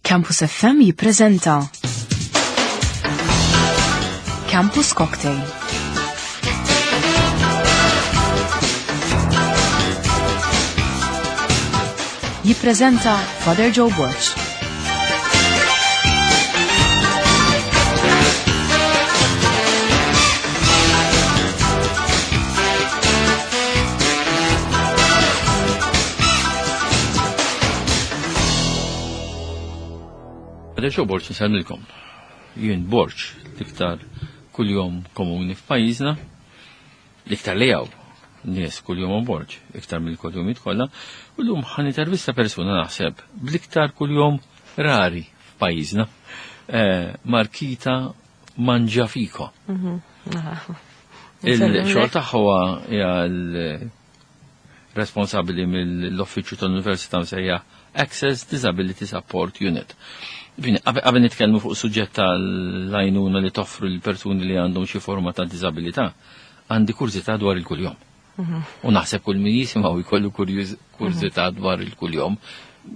Campus FM jippreżenta Campus Cocktail. Jippreżenta Father Joe Borg. Adesso Borġ nsemmilkom. Jien Borġ l-iktar kuljom komuni f'pajjiżna, l-iktar li hawn nies kuljom Borġ, iktar mill-kuljumijiet kollha, u llum ħan intervista persuna naħseb bl-iktar kuljom rari f'pajjiżna, eh, Markita Manġafiko. Il-xogħol tagħha huwa hija responsabbli mill-uffiċċju tal-Università msejjaħ Access Disability Support Unit. Bini, qabel nitkellmu fuq suġġett tal-għajnuna li toffru l-persuni li għandhom xi forma ta' diżabilità, għandi kurżità dwar il-kuljom. U naħseb kull min jisimgħu jkollu kurżità dwar il-kuljom.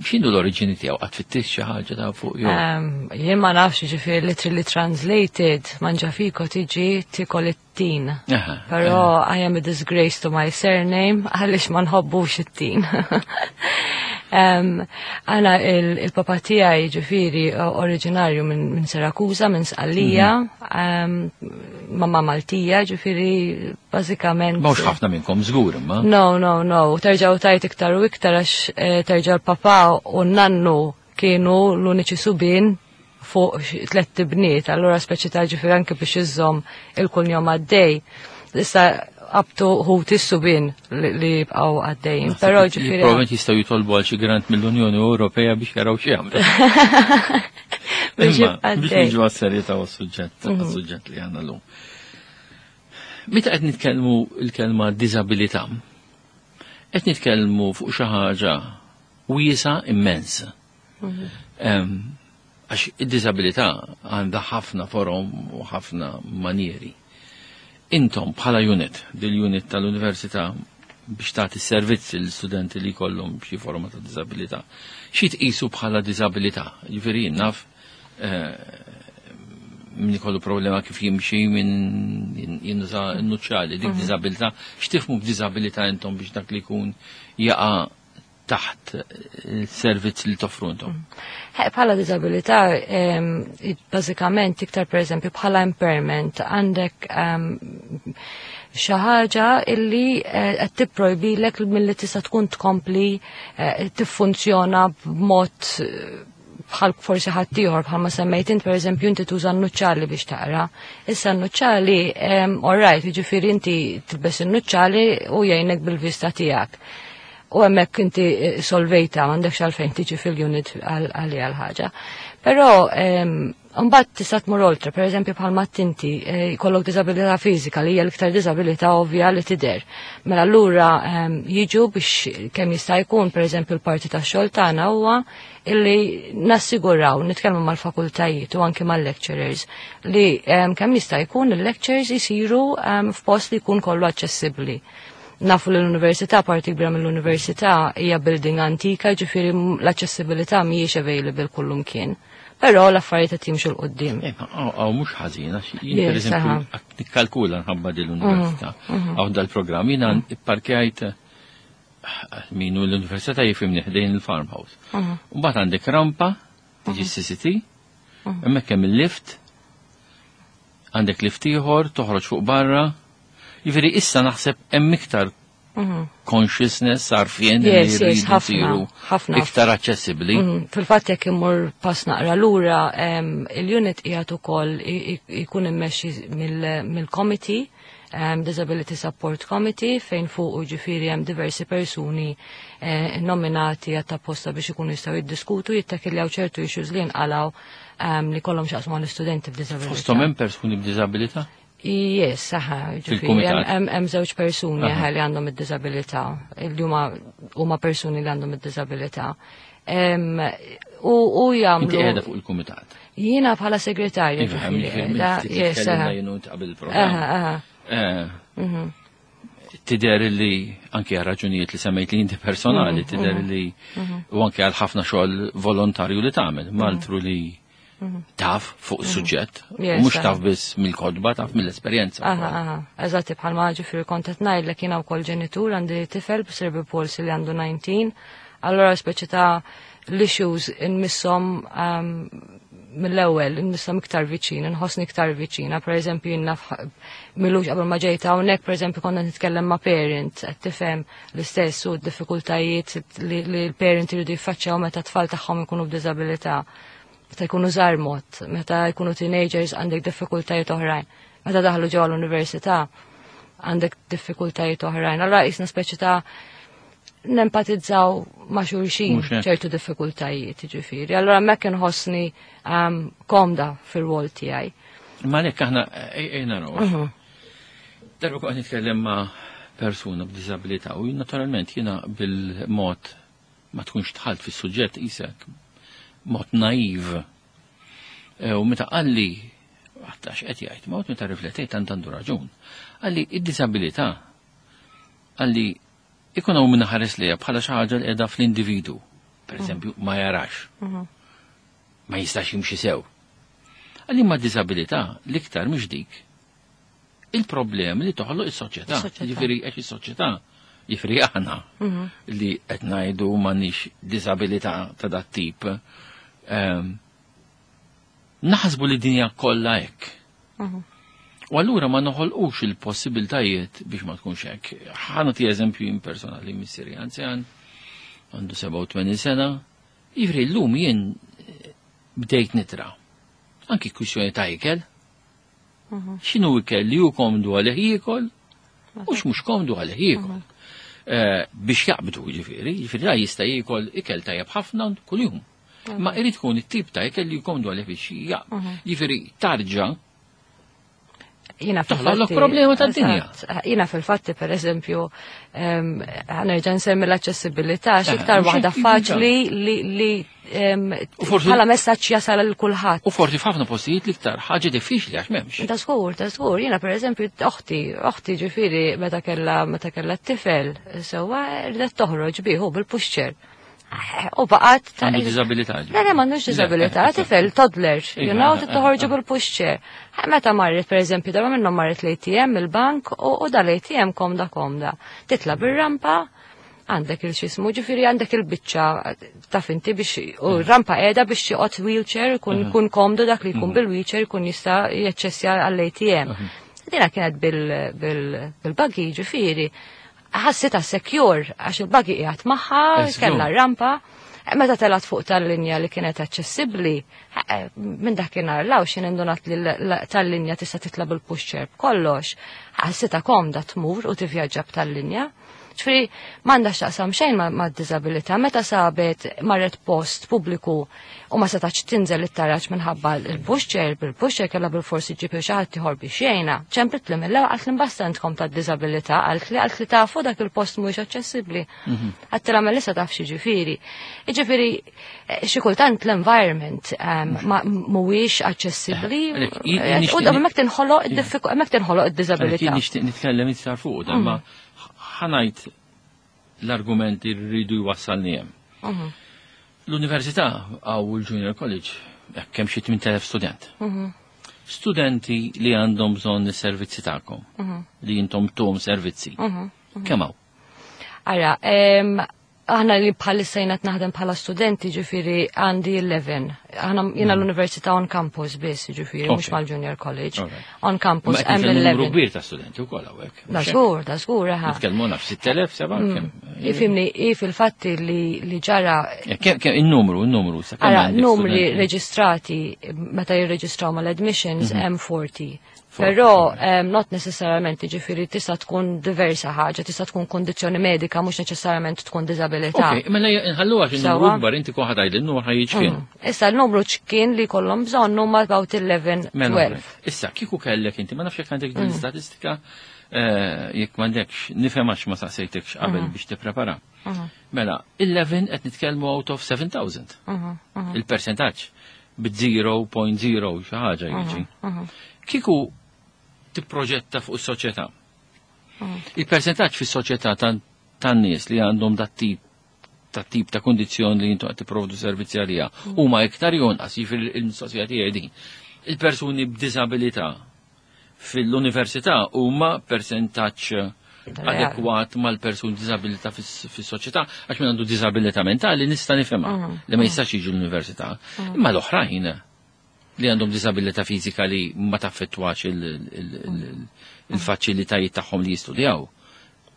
X'inhu l-oriġini tiegħu? Qatt fittix xi ħaġa ta' fuq jew? Jien ma nafx, ġifieri literally translated, Mangiafico tiġi tikol it-tin. Però I am a disgrace to my surname għaliex ma nħobbux it-tin. Għana il-papa tiegħi ġifieri oriġinarju minn Sirakusa, minn Sqallija, mamma Maltija, ġifieri bażikament. Mhux ħafna minnkom żgur imma. No, no, no, terġa' u tajt iktar u iktar għax terġa' l-papa u n-nannu kienu l-uniċi subien fuq tlett ibniet, allura speċi ta' ġifieri anke biex iżżomm il-kunjom għaddej. Issa qabtu ħuti s-subien li jibqgħu għaddejjin. Naħseb Però li ġifieri Probabbilment jistgħu jitolbu għal xi grant mill-Unjoni Ewropea biex jaraw xi jagħmlu. Biex Imma, jibqa' biex għaddej. niġu għas-serjetà u għas-suġġett li għandna llum. Meta qed nitkellmu l-kelma diżabilità, qed nitkellmu fuq xi ħaġa wiesa immens. Għax id-diżabilità għandha ħafna forom u ħafna manieri. Intom bħala unit, dil-unit tal-università biex tagħti servizz l-studenti li jkollhom xi forma ta' diżabilità, xi tqisu bħala diżabilità? Ġifieri jien naf min ikollu problema kif jimxi, min jinnuża n-nuċċali, dik diżabilità. X'tifhmu b'diżabilità intom biex dak li jkun jaqa' taħt il-servizz li toffru intom? Bħala diżabilità, bażikament iktar pereżempju bħala impairment għandek xi ħaġa illi qed tipprojbilek milli tista' tkun tkompli tiffunzjona b'mod bħal forsi ħaddieħor, bħalma semmejt int pereżempju inti tuża n-nuċċali biex taqra. Issa n-nuċċali, all right, jiġifieri inti tilbes in-nuċċali u jgħinek bil-vista tiegħek. U hemmhekk inti solvejta, m'għandekx għalfejn tiġi fil-unit għalija l-ħaġa. Però mbagħad tista' tmur oltre, pereżempju bħalma inti jkollok diżabilità fiżika li hija l-iktar diżabilità ovvja li tidher. Mela allura jiġu biex kemm jista' jkun, pereżempju l-parti tax-xogħol tagħna huwa illi nassiguraw, nitkellmu mal-fakultajiet u anke mal-lecturers li kemm jista' jkun il-lectures isiru f'post li jkun kollu aċċessibbli. Nafu li l-università, parti kbira mill-università hija building antika, ġifieri l-aċċessibilità mhijiex available kullumkien. Però l-affarijiet qed jimxu 'l quddiem. Għaw mhux ħażin, għax jien Yes, pereżempju qed nikkalkula nħabba din l-università. Għaw dal-programm jiena ipparkjajt minu l-università jifhimni ħdejn il-farmhouse. U mbagħad għandek rampa, tiġi CCT, hemmhekk hemm il-lift, għandek lift ieħor, toħroġ fuq barra. Jiġifieri issa naħseb hemm iktar consciousness għarfien li Yes, yes, jridu ħafna, jsiru ħafna. iktar aċċessibbli. Fil-fatt jekk immur pass naqra lura, il-unit qiegħed ukoll jkun immexxi mill-committee, Disability Support Committee, fejn fuq ġifieri hemm diversi persuni nominati għat apposta biex ikunu jistgħu jiddiskutu, jittakiljaw ċertu issues li nqalgħu li kollhom x'jaqsmu mal-istudenti b'diżabilità. Fosthom hemm persuni b'diżabilità? Yes, aha, ġifieri, Fil-kumitat. hemm żewġ persuni li għandhom id-diżabilità, li huma persuni li għandhom id-diżabilità. U jagħmlu Inti qiegħda fuq il-kumitat. Jiena bħala segretarja, Iva, ġifieri, ġifieri, da, ftit yes, tkellimna aha. jien u inti qabel il-programm. Aha, aha. Tidher li anke għal raġunijiet li semmejt li inti personali, tidher li u anke għal ħafna xogħol volontarju li tagħmel, maltru li taf fuq is-suġġett, u mhux taf biss mill-kotba, taf mill-esperjenza. Aha, aha, eżatt, bħalma ġifieri kont qed ngħidlek jiena wkoll ġenitur, għandi tifel b'cerebral palsy li għandu 19, allora speċi ta' l-issues inmisshom mill-ewwel, inmisshom iktar viċin, inħossni iktar viċina. Per eżempju, jien naf m'ilux qabel ma ġejta hawnhekk, per eżempju, konna nitkellem ma' parent, qed tifhem l-istess u d-diffikultajiet li l-parent iridu jiffaċċjaw meta t-tfal tagħhom ikunu b'diżabilità. Meta jkunu żgħar mod, meta jkunu teenagers għandek diffikultajiet oħrajn. Meta daħlu ġewwa l-università għandek diffikultajiet oħrajn. Allora qisna speċi ta' nempatizzaw ma' xulxin Mhux hekk. ċertu diffikultajiet, ġifieri. Allora hemmhekk inħossni komda fir-rwol tiegħi. Ma lek aħna ejna naraw. Darba kont nitkellem ma' persuna b'diżabilità u naturalment jiena bil-mod ma tkunx dħalt fis-suġġett isek mod naiv. U meta qalli għax qed jgħid, ma meta riflettejt tant għandu raġun. Qalli id-diżabilità qalli ikun hawn min ħares lejha bħala xi ħaġa li qiegħda fl-individu. Per eżempju, ma jarax. Ma jistax jimxi sew. Qalli ma diżabilità l-iktar mhix dik. Il-problemi li toħloq is-soċjetà. Is-soċjetà. Jiġifieri għax is-soċjetà, jiġifieri aħna li qed ngħidu m'għandniex diżabilità ta' dat tip. Naħsbu li dinja kollha hekk. U allura ma noħolqux il-possibiltajiet biex ma tkunx hekk. Ħa nagħti eżempju jien personali, missieri anzjan, għandu 87 sena, jiġifieri llum jien bdejt nitra. Anki kwistjoni ta' ikel. X'inhu ikel li hu komdu għalih jiekol u x'mhux komdu għalih jiekol. Biex jaqbdu ġifieri, ġifieri la jista' jiekol ikel tajjeb ħafna kuljum. Ma irid tkun it-tip ta' ikel li komdu għalih biex jaqbdu. Ġifieri tarġa' Jina Toħloq fil-fatti- problema tad-dinja. Eżatt. Jina fil-fatti, per eżempju, ħa nerġa' nsemmi l-aċċessibilità, x'iktar Mhux waħda hekk faċli li U forsi- bħala messaġġ jasal lil kulħadd. U forsi f'ħafna postijiet l-iktar ħaġa diffiċli għax m'hemmx. Ta' żgur, ta' żgur. Jiena per eżempju, oħti ġifieri meta kellha t-tifel, sewwa rridet toħroġ bihu bil-pushchair. U baqgħet ta' Għandu diżabilità, ġifieri. Le, le, m'għandux diżabilità, tifel, toddler, you know, toħorġu bil-pushchair. Meta marret, per eżempju, darba minnhom marret l-ATM, il-bank, u dal-ATM komda komda. Titla bir-rampa, għandek il-xismu, ġifieri għandek il-biċċa taf inti biex, u rampa qiegħda biex joqgħod wheelchair, kun komdu dak li jkun bil-wheelchair, kun jista' jaċċessja għall-ATM. Dina kienet bil-buggy, ġifieri. Ħassitha secure, għax il-buggy qiegħed magħha, kellha rampa. Meta telat fuq tal-linja li kienet aċċessibbli, minn dakinhar law x'in indunat li tal-linja tista' titla' bil-pushchair b'kollox, ħassitha komda tmur u tivvjaġġa b'tal-linja. Ġifieri m'għandha x'taqsam xejn ma' diżabilità, meta sabet marret post pubbliku u ma setax tinżel it-taraġ minħabba l-pushchair, bil-pushchair kellha bil-forsi ġib xi ħadd ieħor biex jgħinha. Ċemplet li mill-ewwel qalt li mbasta intkom ta' diżabilità, qalt li tafu dak il-post mhuwiex aċċessibbli. Għedtilha mela issa taf xi ġifieri. Jiġifieri xi kultant l-environment mhuwiex aċċessibbli. Għalhekk, U hemmhekk tinħoloq id-diffiku-, hemmhekk tinħoloq id-diżabilità. Għalhekk jien nixtieq nitkellem iktar fuq dan, ma ħa ngħid l-argumenti li rridu jwassalni hemm. L-università għaw il-Junior College, hekk hemm xi 8000 student. Studenti li għandhom bżonn is-servizzi tagħkom, li intom tuhom servizzi. Kemm hawn? Ara, aħna li bħalissa jiena naħdem bħala studenti, ġifieri għandi 11. Aħna jiena l-università on campus biss, ġifieri, mhux mal-Junior College. On campus Ma qed hemm nitkellmu numru 11. kbir ta' studenti wkoll hawnhekk. Da żgur, da żgur, aha. Nitkellmu naf 6000, seba' kemm. Ifhimni, i fil-fatti li ġara Kemm il-numru, sa kemm Ara, għandek numri studenti? reġistrati meta jirreġistraw mal-admissions hemm 40. 40, Però not necessarily, ġifieri tista' tkun diversa ħaġa, tista' tkun kondizzjoni medika, mhux neċessarjament tkun diżabilità. Ok, mela nħallu għax il-numru Sewwa. kbar, inti kun ħa tgħid il-numru ħa jiġi kien. Issa l-numru ċkien li kollhom bżonn huma about 11, Mela, 12. Issa, kieku kellek inti, ma nafx jekk għandek din l-istatistika, jekk m'għandekx, nifhem għax ma saqsejtekx qabel biex tipprepara. Mela, 11 qed nitkellmu out of 7000. Il-percentaġġ bi 0.0 xi ħaġa jiġi. Kieku tipproġetta fuq is-soċjetà. Il-percentaġġ fis-soċjetà tan-nies li għandhom dat tip ta' tip ta' kondizzjoni li jintu qed tipprovdu servizzi għaliha huma iktar jonqas, jiġifieri il-mistoqsija tiegħi din. Il-persuni b'diżabilità fil-università huma persentaġġ adekwat mal-persuni b'diżabilità fis-soċjetà, għax min għandu diżabilità mentali nista' nifhimha li ma jistax jiġi l-università. Imma l-oħrajn li għandhom diżabilità fiżika li ma taffettwax il-faċilitajiet tagħhom li jistudjaw.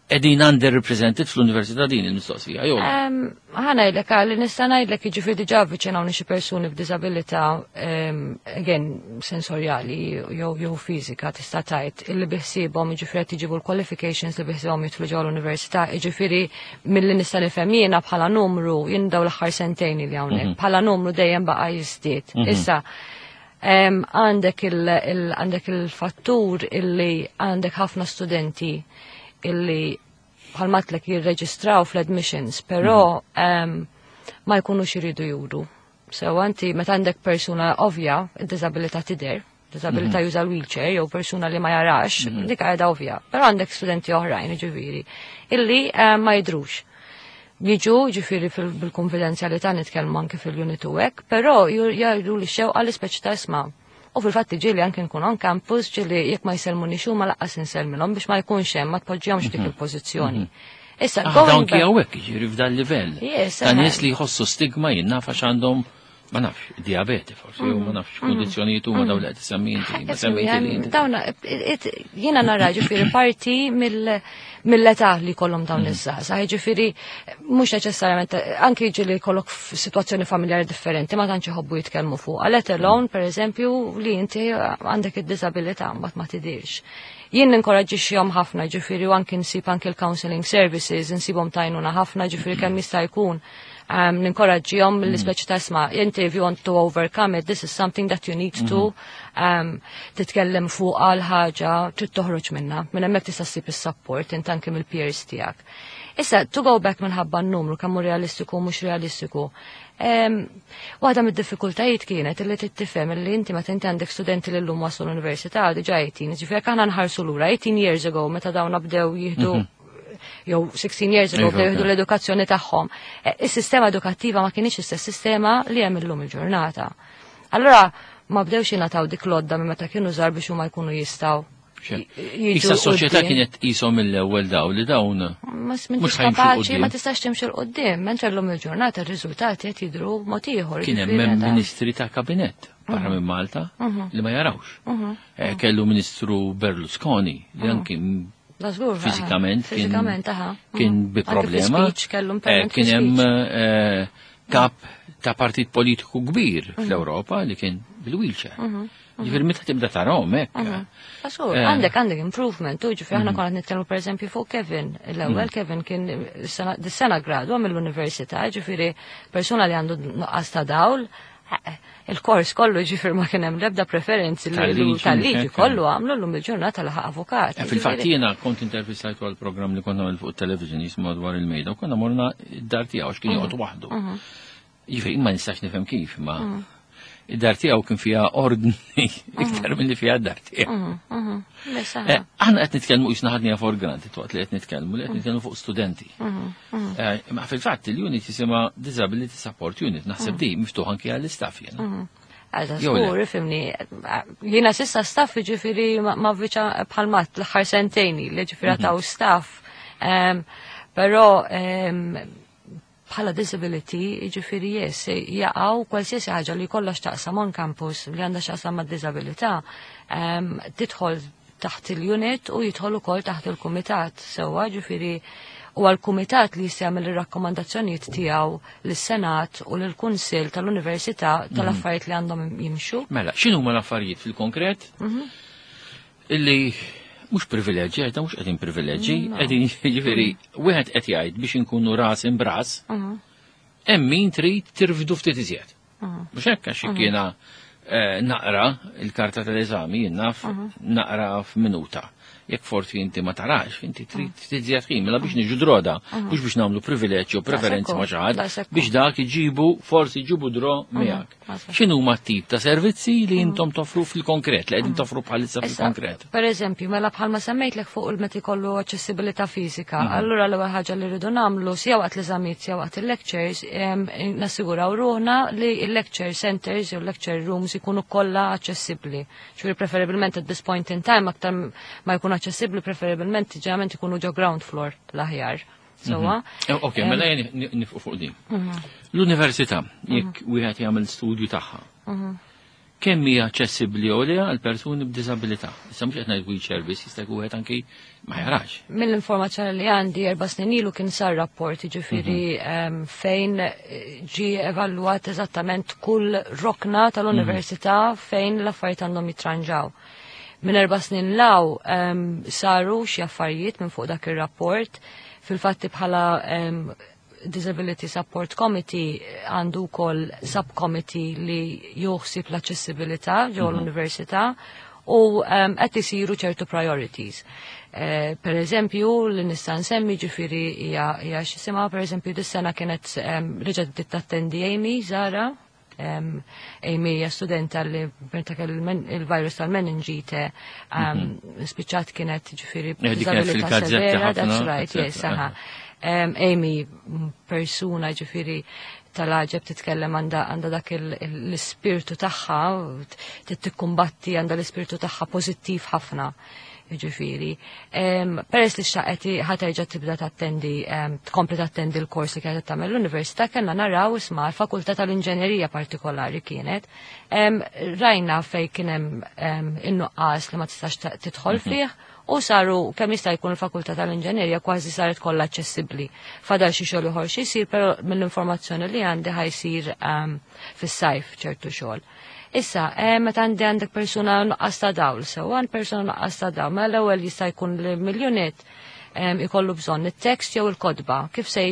Qegħdin underrepresented fl-università din il-mistoqsija, jew? Ħa ngħidlek għalli nista' ngħidlek jiġifieri diġà avviċinawni xi persuni b'diżabilità again sensorjali jew fiżika tista' tgħid illi biħsiebhom jiġifieri qed jiġibu l-qualifications li biħsiebhom jidħlu ġewwa l-università, jiġifieri milli nista' nifhem jiena bħala numru jien daw l-aħħar sentejn li hawnhekk bħala numru dejjem baqa' jiżdied. Issa għandek il-fattur illi għandek ħafna studenti illi bħalmatlek jirreġistraw fl-admissions, però ma jkunux iridu juru. So anti meta għandek persuna ovvja, id-disabilità tidher, disabilità juża l-wheelchair jew persuna li ma jarax, dik għadha ovvja. Però għandek studenti oħrajn, ġifieri, illi ma jidrux. Jiġu ġifieri bil-konfidenzjalità nitkellmu anke fil-unit u hekk, però jgħidu li xewqa li speċi ta' isma'. U fil-fatt ġieli anke nkun on campus, ġieli jekk ma jsellmunix huma lanqas insellmilhom biex ma jkunx hemm, ma tpoġġihomx dik il-pożizzjoni. Issa, going Dawn back hawnhekk jiġifieri f'dan livell. Yes, Ta' nies li jħossu stigma jien naf għax għandhom ma nafx, diabete forsi, jew ma nafx kondizzjonijiet huma dawn li qed issemmi inti, ma semmejti li inti. Dawna, jiena nara ġifieri parti mill-età li kollhom dawn iż-żgħażagħ, ġifieri mhux neċessarjament anke jiġi li jkollok f'sitwazzjoni familjari differenti ma tantx iħobbu jitkellmu fuq. Let alone, per eżempju, li inti għandek id-diżabilità mbagħad ma tidirx. Jien ninkoraġġixxihom ħafna, ġifieri u anke nsib anke l-counseling services, insibhom tajnuna ħafna, ġifieri kemm jista' jkun. Ninkoraġġihom l-ispeċi ta' isma', inti if you want to overcome it, this is something that you need to titkellem fuq għal ħaġa trid toħroġ minna. Minn hemmhekk tista' ssib is-support int anke mill-peers tiegħek. Issa, to go back minħabba n-numru kemm hu realistiku u mhux realistiku. Waħda mid-diffikultajiet kienet illi tifhem illi inti meta inti għandek studenti li llum waslu l-università diġà 18, ġifieri jekk aħna nħarsu lura 18 years ago meta dawn bdew jieħdu jew 16 years ago bdew jieħdu l-edukazzjoni tagħhom. Is-sistema edukattiva ma kienx istess sistema li hemm illum il-ġurnata. Allura ma bdewx jingħataw dik l-għodda minn meta kienu żgħar biex huma jkunu jistgħu jiġu Issa s-soċjetà quddiem. kienet qishom mill-ewwel daw li dawn Ma mhux m'intix ħajmxu kapaċi, quddiem. ma tistax timxi 'l quddiem, mentre llum il-ġurnata r-riżultati qed jidhru mod ieħor. Kien hemm Jiġifieri ta' ministri ta' kabinett barra minn Malta li ma jarawx. Kellu Ministru Berlusconi li anki Da żgur, fiżikament Fiżikament, aha. kien bi Anke fi problema. speech kellu impairment Kien fi hemm speech. kap ta' partit politiku kbir fl-Ewropa li kien bil-wheelchair. Ġifieri meta tibda tarahom hekk. Da żgur, għandek improvement, u ġifieri aħna konna nitkellmu pereżempju fuq Kevin. L-ewwel Kevin kien dis-sena gradwa mill-università, ġifieri persuna li għandu nuqqas ta' dawl, il-kors kollu ġifieri ma kien hemm l-ebda preferenzi li Tal-liġi, tal-liġi hekk. kollu għamlu llum il-ġurnata laħaq avukat. Fil-fatt Ġifieri jiena kont intervistajtu għal programm li konna għamil fuq television jismu dwar il-mejda u konna morna id-dar tiegħu għax kien joqgħod waħdu. Ġifieri ma nistax nifhem kif, ma id-dar tiegħu kien fiha ordni iktar milli fiha d-dar tiegħu. Bess, aha. Aħna qed nitkellmu qisna ħadniha for granted waqt li qed nitkellmu li qed nitkellmu fuq studenti. Ma fil-fatt il-unit jisimha Disability Support Unit, naħseb di miftuħ anke għall-istaff jiena. Għaza, Jew le? żgur, ifhimni, jiena s'issa staff ġifieri ma viċa bħalmat l-aħħar sentejn li ġifieri taw staff. Però bħala disability, ġifieri yes, jaqgħu kwalsiasi ħaġa li kollha x'taqsam on campus li għandha x'taqsam ma' disabilità, tidħol taħt il-unit u jidħol ukoll taħt il-kumitat. Sewwa ġifieri u għal-kumitat li jista' jagħmel ir-rakkomandazzjonijiet tiegħu lis-Senat u lill-Kunsill tal-Università tal-affarijiet li għandhom jimxu. Mela, x'inhuma l-affarijiet fil-konkret? Illi mhux privileġġi, għedha mhux qegħdin privileġġi, qegħdin jiġifieri wieħed qed jgħid biex inkunu ras imbras, hemm min trid tirfdu ftit iżjed. Mhux hekk għax jiena naqra il-karta tal-eżami, jien naf naqra f'minuta. Jekk forsi inti ma tarax, inti trid tiżjed ħin, mela biex niġu draw da, mhux biex nagħmlu privileġġ u preferenzi ma' xi ħadd, biex dak iġibu forsi ġibu draw miegħek. X'inhu tip ta' servizzi li intom toffru fil-konkret, li qegħdin toffru bħalissa fil-konkret? Per eżempju, mela bħalma semmejtlek fuq il-meta jkollu aċċessibilità fiżika, allura l-ewwel ħaġa li rridu nagħmlu sija waqt l-eżamijiet sija waqt il-lectures, nassiguraw ruħna li il-lecture centers u lecture rooms ikunu kollha aċċessibbli. Ġifieri preferibilment at this point in time aktar ma jkun aċċessibbli, preferibilment ġeneralment ikunu ġo ground floor l-aħjar. Sewwa? Ok, mela jien nifqu fuq din. L-università, jekk wieħed jagħmel studju tagħha, kemm hija aċċessibbli jew le għal persuni b'diżabilità? Issa mhux qed ngħid wheelchair biss, jista' jkun wieħed anki ma jarax. Mill-informazzjoni li għandi 4 snin ilu kien sar rapport, ġifieri fejn ġi evalwat eżattament kull rokna tal-università fejn l-affarijiet għandhom jitranġaw. Minn 4 snin 'l hawn saru xi affarijiet minn fuq dak ir-rapport. Fil-fatti bħala Disability Support Committee għandu wkoll subcommittee li joħsib l-aċċessibilità ġo l-università u qed isiru ċertu priorities. Per eżempju, li nista' nsemmi ġifieri hija x'jisimha, per eżempju, dis-sena kienet reġgħet bdiet tattendi Amy Zara. Amy hija studenta li meta kellu il-virus tal-meningite spiċċat kienet ġifieri Dik kienet b'diżabilità fil-gazzetti severa, ħafna, that's right, yes, eccetera. aha. Amy persuna ġifieri tal-għaġeb, titkellem, għanda dak l-ispirtu tagħha, tikkumbatti, għandha l-ispirtu tagħha pożittiv ħafna. Ġifieri. Peress li xtaqet ħa terġa' tibda tattendi, tkompli tattendi l-kors li kienet tagħmel l-università, kellna naraw isma' l-fakultà tal-inġenerija partikolari kienet. Rajna fej kien hemm in-nuqqas li ma tistax tidħol fih u saru kemm jista' jkun il-fakultà tal-inġenerija kważi saret kollha aċċessibbli. Fadal xi xogħol ieħor xi jsir, però mill-informazzjoni li għandi ħa jsir fis-sajf ċertu xogħol. Issa, meta għandek persuna nuqqas ta' dawl, sew għand persuna nuqqas ta' dawl, mela l-ewwel jista' jkun li mill-unit ikollu bżonn it-tekst jew il-kotba. Kif se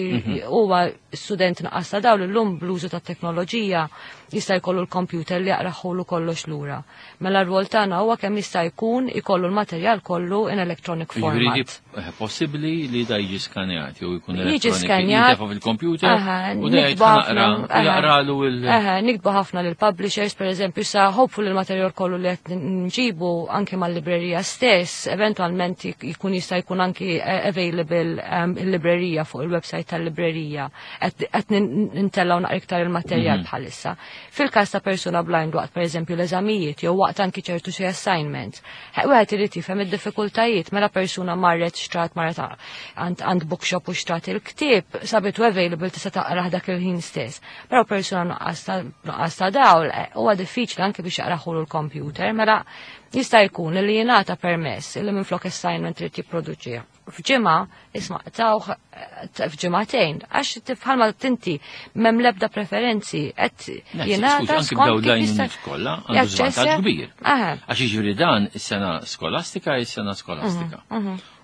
huwa student nuqqas ta' dawl illum bl-użu ta' teknoloġija jista' jkollu l-computer li jaqraħulu kollox lura. Mela r-rwol tagħna huwa kemm jista' jkun ikollu l-materjal kollu in electronic Jiġifieri format. Possibbli li da jiġi skanjat jew jkun Jiġi elettronic, skanjat. jintefa' fil-computer u da jgħid Niktbu ħafna, naqra, jaqralu il- Aha, niktbu ħafna lil publishers, per eżempju, sa hopefully il-materjal kollu li qed nġibu anke mal-librerija stess, eventualment jkun jista' jkun anki available il-librerija fuq il-website tal-librerija. Qed nintellgħu naqra iktar il-materjal bħalissa. Fil-każ ta' persuna blind waqt per eżempju l-eżamijiet jew waqt anki ċertu xi assignments, wieħed irid jifhem id-diffikultajiet mela persuna marret xtrat, marret għand bookshop u xtrat il-ktieb, sabitu available, tista' taqrah dak il-ħin stess. Però persuna nuqqas ta' dawl huwa diffiċli anke biex jaqraħulu l-computer, mela jista' jkun li jingħata permess li minflok assignment trid jipproduċih f'ġimgħa, isma' tawh f'ġimagħtejn, għax tifħalma tinti m'hemm l-ebda preferenzi qed jingħata Anki skont b'daw kif dajn jista' kollha għandu żvantaġġ jaċċessa. kbir. Għax jiġifieri dan is-sena skolastika is-sena skolastika.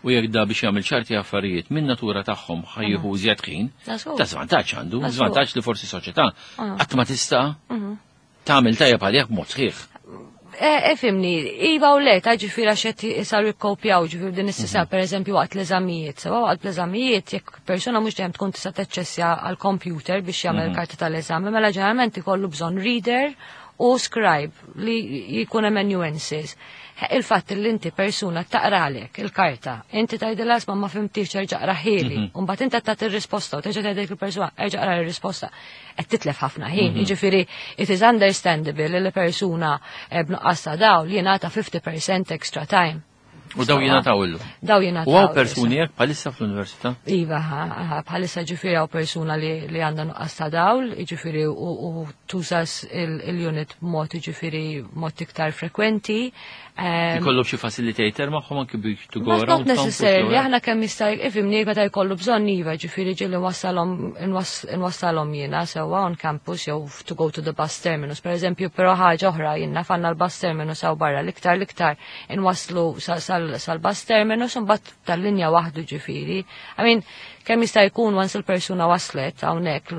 U jekk da biex jagħmel ċerti affarijiet minn natura tagħhom ħa jieħu iżjed ħin, ta' żvantaġġ għandu, żvantaġġ li forsi soċjetà qatt ma tista' tagħmel tajjeb għalih b'mod sħiħ. Ifhimni, iva u le, ta' ġifieri għax qed saru jikkopjaw ġifieri din is-sisa, per eżempju waqt l-eżamijiet. Sewa waqt l-eżamijiet, jekk persuna mhux dejjem tkun tista' taċċessja għall-computer biex jagħmel karta tal-eżami, mela ġeneralment ikollu bżonn reader u scribe li jkun amanuensis. Il-fatt li inti persuna taqralek il-karta, inti tgħidilha isma' ma fhimtix, erġa' aqrahieli, u mbagħad inti tagħti ir-risposta u terġa' tgħidlek il-persuna erġa' qra r-risposta, qed titlef ħafna ħin. Jiġifieri it is understandable li persuna b'nuqqas ta' dawl jingħata 50% extra time. U daw jingħataw illum. Daw jingħataw. U hawn persuni hekk bħalissa fl-università? Iva, ha, bħalissa ġifieri hawn persuna li għandha nuqqas ta' dawl, ġifieri u tuża il-unit b'mod ġifieri mod iktar frekwenti. Ikollhom xi facilitator magħhom anki biex to go But not around campus, necessarily, jew hekk? aħna kemm jista' ifhimni meta jkollu bżonn iva, ġifieri ġieli nwassalhom jiena sewwa on campus jew to go to the bus terminus, per eżempju, però ħaġa oħra jiena fanna l-bus terminus hawn barra l-iktar inwasslu. sal-bus terminus u mbagħad tal-linja waħdu ġifieri. I mean, kemm jista' jkun once il-persuna waslet hawnhekk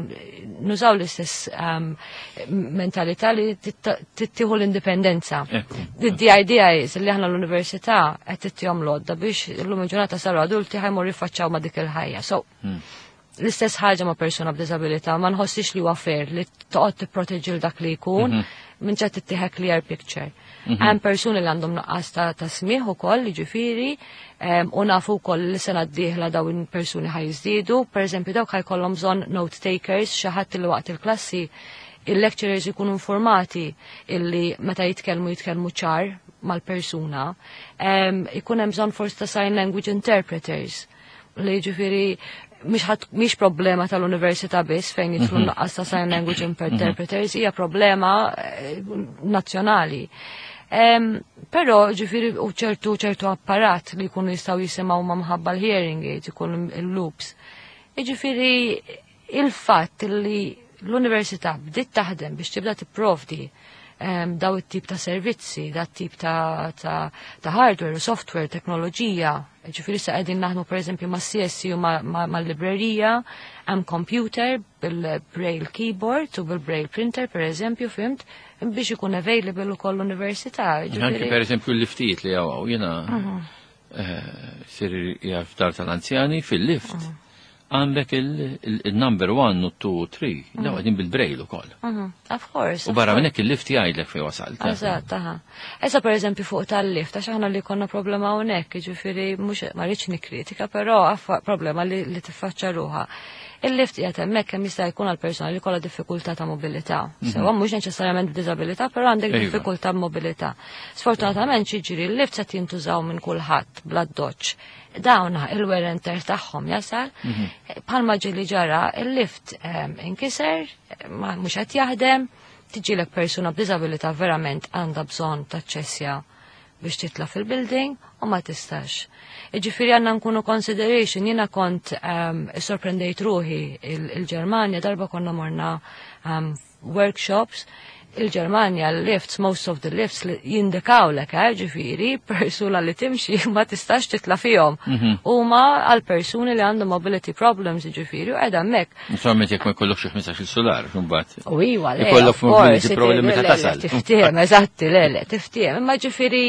nużaw l-istess mentalità li tittieħu l-indipendenza. The idea is li aħna l-università qed tittihom l-għodda biex illum il-ġurnata saru adulti ħa jmorru jiffaċċjaw ma' dik il-ħajja. So, l-istess ħaġa ma' persuna b'disabilità, ma nħossix li huwa fair li toqgħod tipproteġi l dak li jkun minn ċed tittieħed clear picture. Hemm persuni li għandhom nuqqas ta' smigħ ukoll, jiġifieri, u nafu wkoll li sena d-dieħla dawn persuni ħa jiżdiedu, pereżempju dawk ħa jkollhom bżonn note takers, xi ħadd li waqt il-klassi il-lecturers ikunu informati illi meta jitkellmu jitkellmu ċar mal-persuna. Ikun hemm bżonn forsi ta' sign language interpreters li ġifieri mhix problema tal-università biss fejn jidħlu nuqqas ta' sign language interpreters, hija problema nazzjonali. Però ġifieri u ċertu apparat li jkunu jistgħu jisimgħu ma' mħabba l-hearing aids, ikun il-loops. Ġifieri il-fatt li l-università bdiet taħdem biex tibda tipprovdi daw it-tip ta' servizzi, da tip ta' hardware u software, teknoloġija. Ġifieri sa' qegħdin naħdmu pereżempju ma' CSC u ma' librerija, hemm computer bil-braille keyboard u bil-braille printer pereżempju, fhimt, biex ikun available ukoll l-università. Anke Ġifieri pereżempju l-liftijiet li hawn, jiena sir jaf dar tal-anzjani fil-lift. Għandek il-number 1 u 2 u 3, daw qegħdin bil-braille ukoll. Of course, U of barra course. minn hekk il-lift jgħidlek fejn wasalt. Eżatt, aha. Issa per eżempju fuq tal-lift, għax aħna li konna problema hawnhekk, jiġifieri mhux ma rridx nikkritika, però problema li tiffaċċa ruħha. Il-lift qiegħed hemmhekk kemm jista' jkun għal persuna li kollha diffikultà ta' mobilità. Sewa mhux neċessarjament b'diżabilità, però għandek diffikultà b'mobilità. Sfortunatament xiġri l-lift se jintużaw minn kulħadd bla doċċ. Dawn il-wear and tear tagħhom jasal. Bħalma ġieli ġara il-lift inkiser, ma mhux qed jaħdem, tiġilek persuna b'diżabilità verament għandha bżonn taċċessja biex titla' fil-building u ma tistax. Jiġifieri għandna nkunu consideration, jiena kont sorprendejt ruħi il-Ġermanja, darba konna morna workshops, il-Ġermanja l-lifts, most of the lifts li jindikaw lek, ġifieri, persuna li timxi ma tistax titla' fihom. Huma għal persuni li għandhom mobility problems, ġifieri, u qiegħda hemmhekk. Insomma, jekk ma jkollokx xi 15-il solar, imbagħad. U iwa, le, Ikollok of course, mobility problem le, meta le, tasal. Tiftiehem, eżatti, le, le, tiftiehem. Imma ġifieri,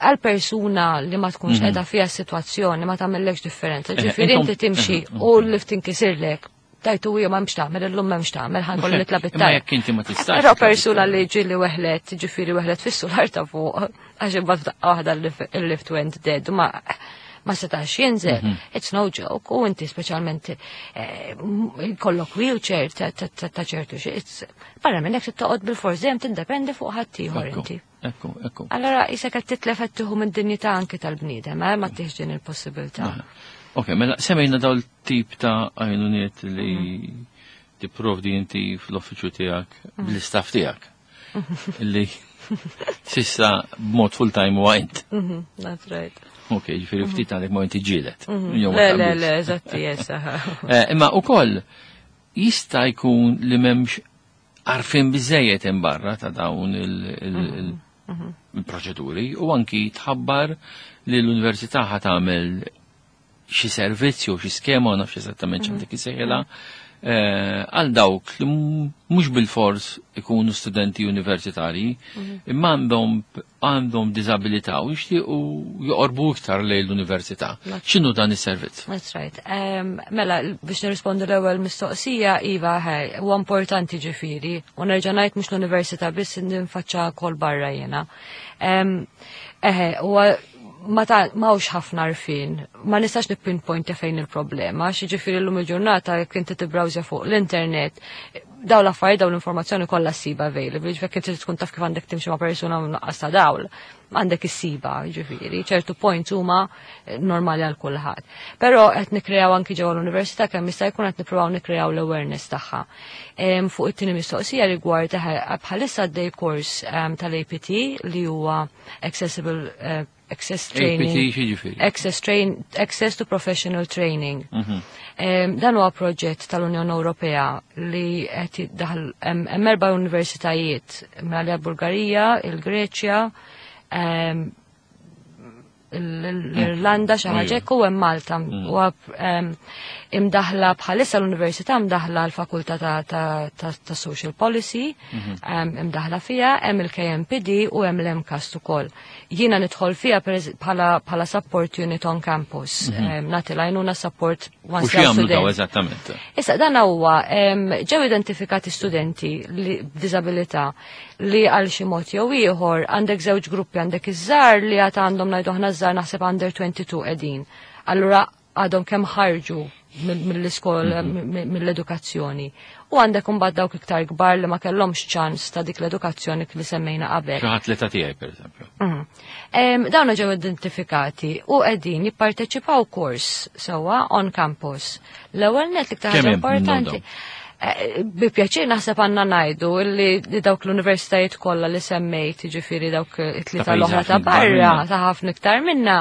għal persuna li ma tkunx qiegħda fiha s-sitwazzjoni ma tagħmellekx differenza. Ġifieri inti timxi u l-lift inkisirlek. Tajtu hija m'hemmx tagħmel, illum m'hemmx tagħmel, ħa nkolli nitla' Imma bit-tajb. jekk inti ma tistax Però titla' persuna bit-tajb. li ġieli weħlet, ġifieri weħlet fis-sular ta' fuq, għax imbagħad f'daqqa waħda il-lift went dead, u ma setax jinżel. It's no joke, u inti speċjalment kollok wheelchair ta' ċertu xi, barra minn hekk toqgħod bil-fors dejjem tindependi fuq ħaddieħor inti. Ekku, ekku. Allora isek qed titlef qed tieħu mid-dinjità anke tal-bniedem, ma tieħx din il-possibilità. Ok, mela semmejna daw l-tip ta' għajnuniet li tipprovdi inti fl-uffiċċju tiegħek bl-istaff tiegħek. Illi sissa b'mod full-time huwa int. That's right. Ok, ġifieri ftit għandek ma inti ġielet. Jew ma Le, le, taqbilx. le, eżatti, yes, aha. Imma ukoll jista' jkun li m'hemmx għarfien biżejjed hemm barra ta' dawn il-proċeduri u anki tħabbar li l-università ħa tagħmel xi servizz jew xi skema, ma nafx eżattament x'għandek isejħilha, għal dawk li mhux bil-fors ikunu studenti universitarji, imma għandhom diżabilità u jixtiequ joqorbu iktar lejn l-università. X'inhu dan is-servizz? That's right. Mela, biex nirrispondu l-ewwel mistoqsija, iva, ħej, huwa importanti ġifieri, u nerġa' ngħid mhux l-università biss ninfaċċa kol barra jiena. Eħe, huwa ma ta' m'hawnx ħafna għarfien, ma nistax nipinpointa fejn il-problema, xi ġifieri llum il-ġurnata jekk inti tibbrawżja fuq l-internet, daw l-affarijiet, daw l-informazzjoni kollha ssiba available, ġifieri jekk inti tkun taf kif għandek timxi ma' persuna nuqqas ta' dawl, għandek issiba, ġifieri, ċertu points huma normali għal kulħadd. Però qed nikkreaw anki ġewwa l-università kemm jista' jkun qed nippruvaw nikkreaw l-awareness tagħha. Fuq it-tieni mistoqsija rigward bħalissa għaddej kors tal-APT li huwa Accessible Access Training. APT xi ġifieri? Access, train, Access to Professional Training. Dan huwa proġett tal-Unjoni Ewropea li qed jiddaħħal hemm erba' universitajiet, mela Bulgarija, il-Greċja, l-Irlanda xi ħaġa hekk u hemm Malta. U imdaħla bħalissa l-Università imdaħla l-Fakultà ta' Social Policy, imdaħla fiha, hemm il-KMPD u hemm l-MCAST ukoll. Jiena nidħol fiha bħala support unit on campus. Nagħti l-għajnuna support U once x'jagħmlu daw eżattament? Issa dan huwa ġew identifikati studenti li b'diżabilità li għal xi mod jew ieħor għandek żewġ gruppi, għandek iż-żgħar li għad għandhom, ngħidu aħna żgħar, naħseb under 22 qegħdin. Allura għadhom kemm ħarġu mill-iskola, mill-edukazzjoni. U għandek imbagħad dawk iktar kbar li ma kellhomx ċans ta' dik l-edukazzjoni li semmejna qabel. Xi ħadd l-età tiegħi pereżempju. Dawna ġew identifikati u qegħdin jipparteċipaw kors sewwa on campus. L-ewwel net l-iktar Kemm ħaġa hemm minnhom importanti. dawn? Bi pjaċir naħseb għandna ngħidu li dawk l-universitajiet kollha li semmejt, jiġifieri dawk it-tlieta Ta' pajjiżi l-oħra ta' ħafna ikbar barra, minna. ta' ħafna iktar minna,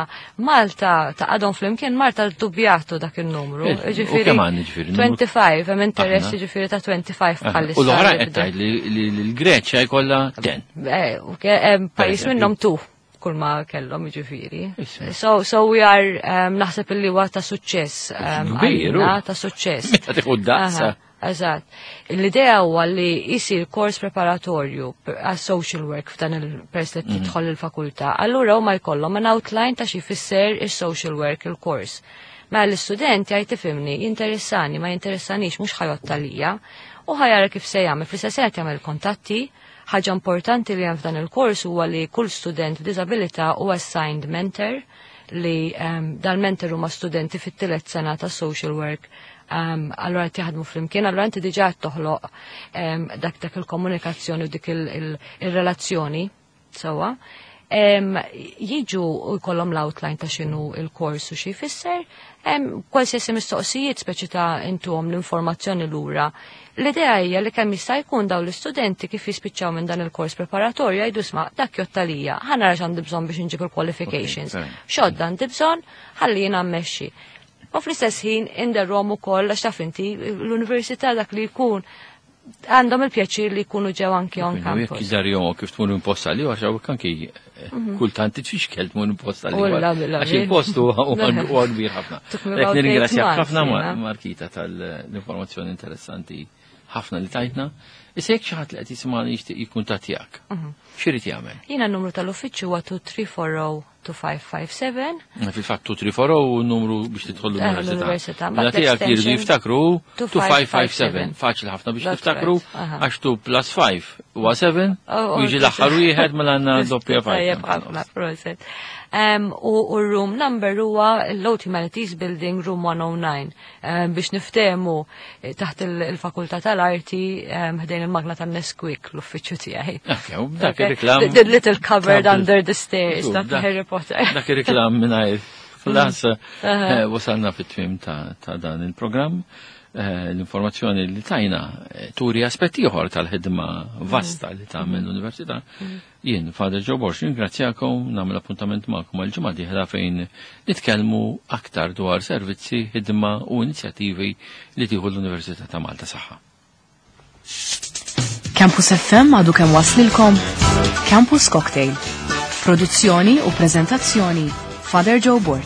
Malta ta' għadhom flimkien, Malta dubjatu dak il-numru. U Jiġifieri kemm għandna ġifieri numru? 25, hemm interess Aħna. jiġifieri ta' 25 bħalissa. U l-oħra li qed bdew. tgħid li l-Greċja jkollha 10. U hemm pajjiż eżempju. minnhom 2 kull ma kellhom jiġifieri. Issa. So we are, naħseb illi huwa ta' suċċess, Kbir, għalina, u. ta' suċċess. Meta tieħu d-daqsa. Aha, eżatt. L-idea huwa li jsir kors preparatorju għas social work f'dan il-pers li tidħol il-fakultà. Allura huma jkollhom an outline ta' xi jfisser is-social work il-kors. Ma l-istudent jgħid tifhimni, jinteressani, ma jinteressanix, mhux ħa jgħodd għalija, u ħa jara kif se jagħmel. Fl-istess ħin qed jagħmel kontatti. Ħaġa importanti li hemm f'dan il-kors huwa li kull student b'diżabilità huwa assigned mentor, li dal-mentor huma studenti fit-tielet sena ta' social work. Allura qed jaħdmu flimkien, allura inti diġà qed toħloq dak il-komunikazzjoni u dik il-relazzjoni sewwa. Jiġu u jkollhom l-outline ta' x'inhu il-kors u xi jfisser, qualsiasi mistoqsijiet speċi ta' intuhom l-informazzjoni lura. L-idea hija li kemm jista' jkun dawn l-istudenti kif jispiċċaw minn dan il-kors preparatorju jgħidu sma' dak jgħodd għalija, ħa nara x'għandi bżonn biex inġib il-qualifications. Okay, fair. X'għodda għandi bżonn, ħalli jiena mmexxi. U fl-istess ħin inderhom ukoll għax taf inti l-università dak li jkun għandhom il-pjaċir li jkunu ġew anki on Quindi, jekk campus. idarjom kif tmur imposta li, għax hawnhekk anki kultant titfixkel tmur imposta li. U la, la, Għax il-post huwa kbir ħafna. Took me Jekk about eight nirringrazzjak months, ħafna, jiena. Markita, tal-informazzjoni interessanti ħafna li tajtna. Issa jekk xi ħadd li qed jisimgħani jixtieq jikkuntattjak, x'irid jagħmel? Jiena n-numru tal-uffiċċju huwa 2340 2557. Fil-fatt 2340 u n-numru biex tidħol l-università. L-università. Mela tiegħek jridu L-extension jiftakru 2557. 2557. Faċli ħafna biex That's tiftakru, right. Aha. għax 2 plus 5 huwa 7 Oh, u jiġi l-aħħar wieħed mela għandna doppja 5. Tajjeb ħafna, proset. U room number huwa l-Old Humanities Building Room 109. Biex niftehmu taħt il-Fakultà tal-Arti, ħdejn il-magna tan-Nesquik l-uffiċċju tiegħi. Ok, u dak Okay. ir-reklam. The little cupboard Dak under the stairs, Dak dak Harry Potter. Dak ir-reklam mingħajr ħlas, wasalna fit-tmiem ta' dan il-programm. L-informazzjoni li tajna turi aspetti ieħor tal-ħidma vasta li tagħmel l-Università. Jien, Father Joe Borg, ringrazzjakom, nagħmel appuntament magħkom għal ġimgħa dieħla fejn nitkellmu aktar dwar servizzi, ħidma u inizjattivi li tieħu l-Università ta' Malta. Saħħa. Campus FM għadu kemm waslilkom Campus Cocktail. Produzzjoni u prezentazzjoni Father Joe Borg.